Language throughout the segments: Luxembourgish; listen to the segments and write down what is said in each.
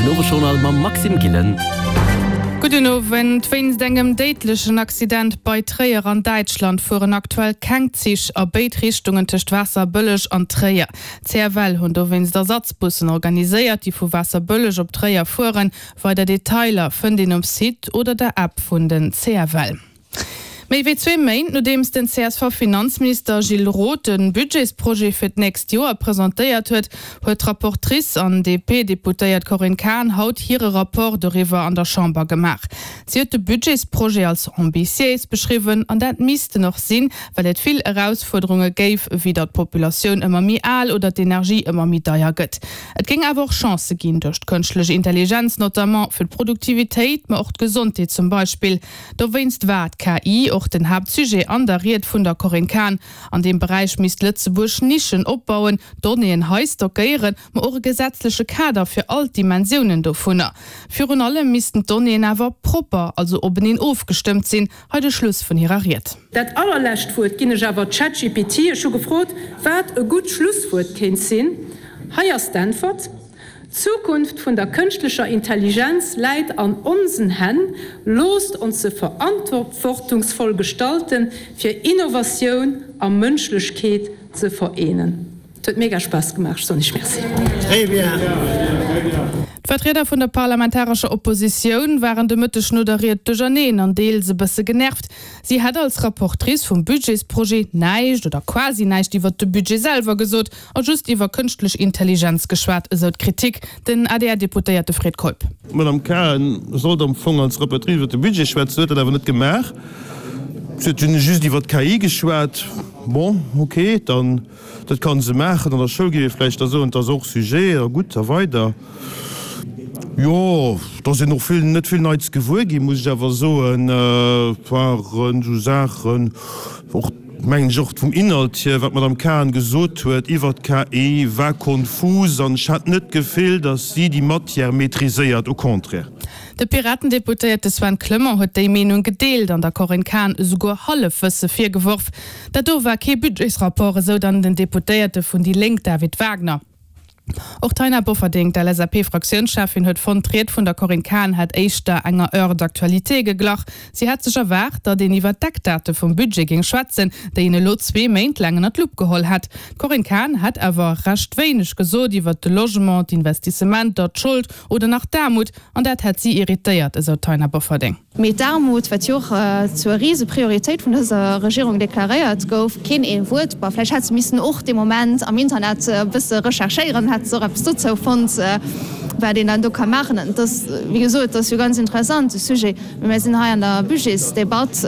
Den Owesjournal mam Maxime Gillen. Gudden Owend. Wéinst engem déidlechen Accident bei Tréier an Däitschland fueren aktuell keng Zich a béid Richtungen tëscht Waasserbëlleg an Tréier. D'CFL hunn dowéinst Ersatzbussen organiséiert, déi vu Waasserbëlleg op Tréier fueren. Weider Detailer fënnt een um Site oder der App vun den CFL. Méi wéi zwee Méint nodeems den CSV-Finanzminister Gilles Roth de Budgetsprojet fir d'nächst Joer presentéiert huet, huet d'Rapportrice an DP-Deputéiert Corinne Cahen haut hire Rapport doriwwer an der Chamber gemaach. Si huet de Budgetsprojet als ambitiéis beschriwwen an dat misst en och sinn, well et vill Erausfuerderunge géif, wéi datt d'Populatioun ëmmer méi al oder d'Energie ëmmer méi deier gëtt. Et géing awer och Chancë ginn, duerch d'kënschtlech Intelligenz notamment, fir d'Produktivitéit, ma och d'Gesondheet zum Beispill. Dowéinst war d'KI och den Haaptsujet an der Ried vun der Corinne Cahen. An deem Beräich misst Lëtzebuerg Nischen opbauen, Donnéeën hei stockéieren, ma och e gesetzleche Kader fir all d'Dimensiounen dovunner. Virun allem missten d'Donnéeën awer propper, also openeen ofgestëmmt sinn. Hei de Schluss vun hirer Ried. Dat allerlescht Wuert ginn ech awer ChatGPT. Ech hu gefrot, wat e gutt Schlusswuert kéint sinn. Hei ass d'Äntwert. D'Zukunft vun der kënschtlecher Intelligenz läit an onsen Hänn. Loosst ons se verantwortungsvoll gestalten, fir Innovatioun a Mënschlechkeet ze vereenen. Et huet mega Spaass gemaach, ech soen iech Merci. D'Vertrieder vun der parlamentarescher Oppositioun waren de Mëtteg no der Ried duercherneen an deels e bësse genervt. Si hätt als Rapportrice vum Budgetsprojet näischt oder quasi näischt iwwert de Budget selwer gesot A just iwwer kënschtlech Intelligenz geschwat, esou d'Kritik. Den ADR-Deputéierte Fred Keup. D'Madame Cahen sollt am Fong als Rapportrice iwwer de Budget schwätzen, huet dat awer net gemaach. Si huet dunn just iwwer d'KI geschwat. Bon, ok, dann, dat ka se maachen. An der Schoul géif ee vläicht da soen, et ass hors sujet a gutt a weider. Jo, et ass een och vill, net vill Neits gewuer ginn, muss ech awer soen. Et waren esou Saachen och. Mengen ech och vum Inhalt hier, wat d'Madame Cahen gesot huet iwwert d'KI, war konfus an ech hat net d'Gefill, datt si déi Matière maîtriséiert, au contraire. De Piraten-Deputéierte Sven Clement huet déi Meenung gedeelt an der Corinne Cahen esouguer Hallefwësse virgeworf. Dat do war kee Budgetsrapport, esou dann den Deputéierte vun déi Lénk David Wagner. Och d'Taina Bofferding, d'LSAP-Fraktiounscheffin, huet fonnt, d'Ried vun der Corinne Cahen hätt éischter enger Heure d'actualité geglach. Si hätt sech erwaart, datt een iwwer d'Eckdate vum Budget géing schwätzen, déi een elo zwee Méint laang ënner d'Lupp geholl hätt. D'Corinne Cahen hätt awer recht wéineg gesot iwwer de Logement, d'Investissementer, d'Schold oder nach d'Aarmut, an dat hätt si irritéiert, esou d'Taina Bofferding. Mee d'Aarmut, wat jo och zur Riseprioritéit vun dëser Regierung deklaréiert gouf, keen ee Wuert. Bon, vläicht hätt se missen och dee Moment am Internet e bësse recherchéieren, hätt se och eppes dozou fonnt, wat een dann do ka maachen. Et ass, wéi gesot, et ass jo ganz interessant, de Sujet, mee mir sinn hei an der Budgetsdebatt,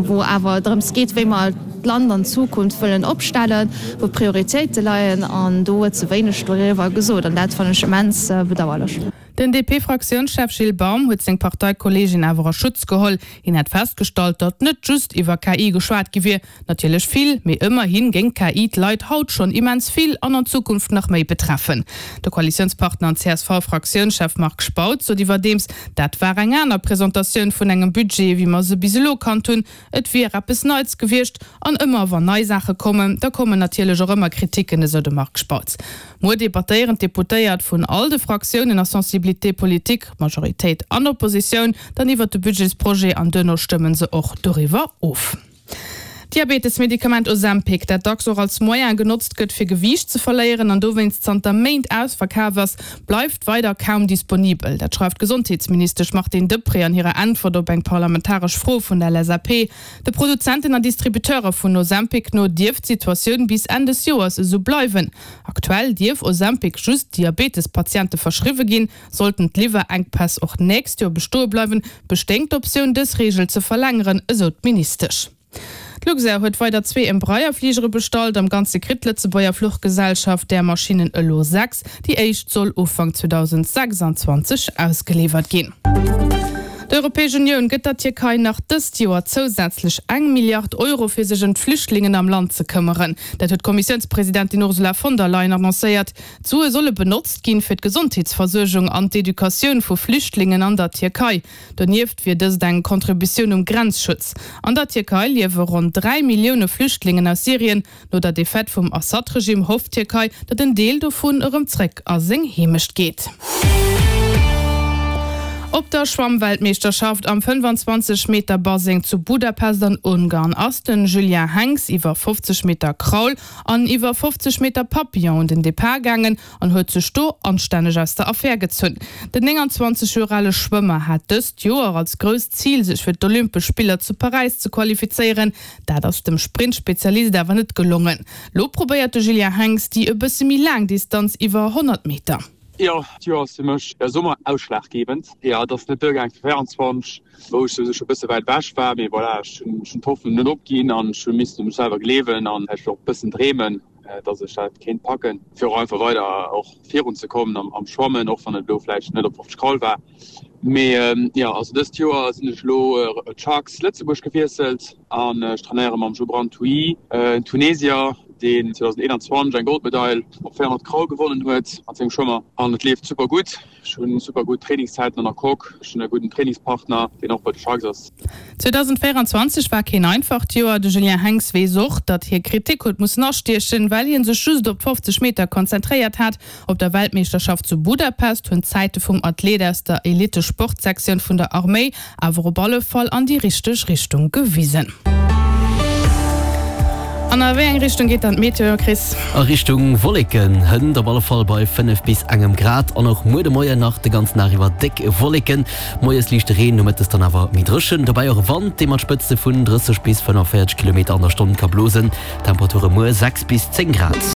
wou awer drëms geet, wéi mer d'Land an Zukunft wëllen opstellen, wou d'Prioritéite leien, an do huet se wéineg doriwwer gesot an dat fannen ech immens bedauerlech. Den DP-Fraktiounschef Gilles Baum huet seng Parteikolleegin awer a Schutz geholl. Hien hätt festgestallt, datt net just iwwer KI geschwat gi wier. Natierlech vill, mee ëmmerhi géing d'KI d'Leit haut schonn immens vill an an Zukunft nach méi betreffen. De Koalitiounspartner an CSV-Fraktiounschef Marc Spautz sot iwwerdeems, dat war eng aner Presentatioun vun engem Budget, wéi mer se bis elo kannt hunn. Et wier eppes Neits gewiescht. An ëmmer wann nei Saache kommen, da kommen natierlech och ëmmer Kriticken, esou de Marc Spautz. Muer debattéieren d'Deputéiert vun all de Fraktiounen a Sensibilité politique, Majoritéit an Oppositioun, dann iwwert de Budgetsprojet an duerno stëmmen se och doriwwer of. D'Diabetesmedikament Ozempic, dat dacks och als Moyen genotzt gëtt fir Gewiicht ze verléieren an dowéinst zanter Méint ausverkaf ass, bleift weider kaum disponibel. Dat schreift d'Gesondheetsministesch Martine Deprez an hirer Äntwert op eng parlamentaresch Fro vun der LSAP. De Produzenten an Distributeure vun Ozempic no dierft d'Situatioun bis Enn des Joers esou bleiwen. Aktuell dierf Ozempic just Diabetespatiente verschriwwe ginn. Sollten d'Liwwerenkpäss och nächst Joer bestoe bleiwen, bestéing d'Optioun, dës Reegel ze verlängeren, esou d'Ministesch. D'Luxair huet weider zwee Embraer-Fligere bestallt. Am Ganze kritt d'Lëtzebuerger Fluchgesellschaft där Maschinnen elo 6. Déi éischt soll Ufank 2026 ausgeliwwert ginn. D'Europäesch Unioun gëtt der Tierkei nach dëst Joer zousätzlech eng Milliard Euro fir sech ëm d'Flüchtlingen am Land ze këmmeren. Dat huet d'Kommissiounspresidentin Ursula von der Leyen annoncéiert. D'Sue solle benotzt ginn, fir d'Gesondheetsversuergung an d'Educatioun vu Flüchtlingen an der Tierkei. Donieft wier dëst eng Contributioun um Grenzschutz. An der Tierkei liewe ronn 3 Millioune Flüchtlingen aus Syrien. No der Defaite vum Assad-Regimm hofft d'Tierkei, datt en Deel dovun erëm zréck a seng Heemecht geet. Op der Schwammweltmeeschterschaft am 25 Meter Baseng zu Budapest an Ungarn ass den Julien Henx iwwer 50 Meter Kraul an iwwer 50 Meter Papillon un den Depart gaangen an huet sech do anstänneg aus der Affär gezunn. Den 29 Joer ale Schwëmmer hat dëst Joer als grousst Zil sech fir d'Olympesch Spiller zu Paräis ze qualifizéieren. Dat ass dem Sprintspezialist awer net gelongen. Lo probéiert de Julien Henx déi e bësse méi laang Distanz iwwer 100 Meter. Jo, d'Joer ass fir mech de Summer ausschlaggebend. Jo, et ass net duergaang fir 24, wou ech souwisou scho bësse wäit ewech war. Mee voilà, ech hunn d'Hoffnung net opginn an ech hu missen u mech selwer gleewen an vläicht och e bëssen dreemen, dass ech dat kéint packen, fir och einfach weider och virun ze kommen am Schwammen, och wann et elo vläicht net op 50 Kraul war. Mee jo, also dëst Joer sinn ech elo d'Sharks Lëtzebuerg gewiesselt an ech trainéiere mam Joubran Touy, en Tunesier, deen 2021 eng Goldmedail op 400 Kraul gewonnen huet mat sengem Schwëmmer an et leeft super gutt. Ech hunn super gutt Trainingszäiten an der Coque, ech hunn e gudden Trainingspartner, deen och bei de Sharks ass. 2024 war keen einfacht Joer. De Julien Henx weess och, datt hie Kritik huet mussen astiechen, well hie sech just op d'fofzeg Meter konzentréiert hat. Op der Weltmeeschterschaft zu Budapest hunn d'Zäite vum Athlet aus der Elite-Sportsektioun vun der Arméi awer op alle Fall an déi richteg Richtung gewisen. An a wéi eng Richtung geet dann d'Meteo, Chris? A Richtung Wolleken, hënt op alle Fall bei 5 bis engem Grad an och muer de Moien nach de ganzen Dag iwwer déck Wolleken. Moies liichte Reen, nomëttes dann awer méi dréchen. Dobäi och e Wand, dee mat Spëtzte vun 30 bis 45 Kilometer an der Stonn ka blosen. Temperature muer 6 bis 10 Grad.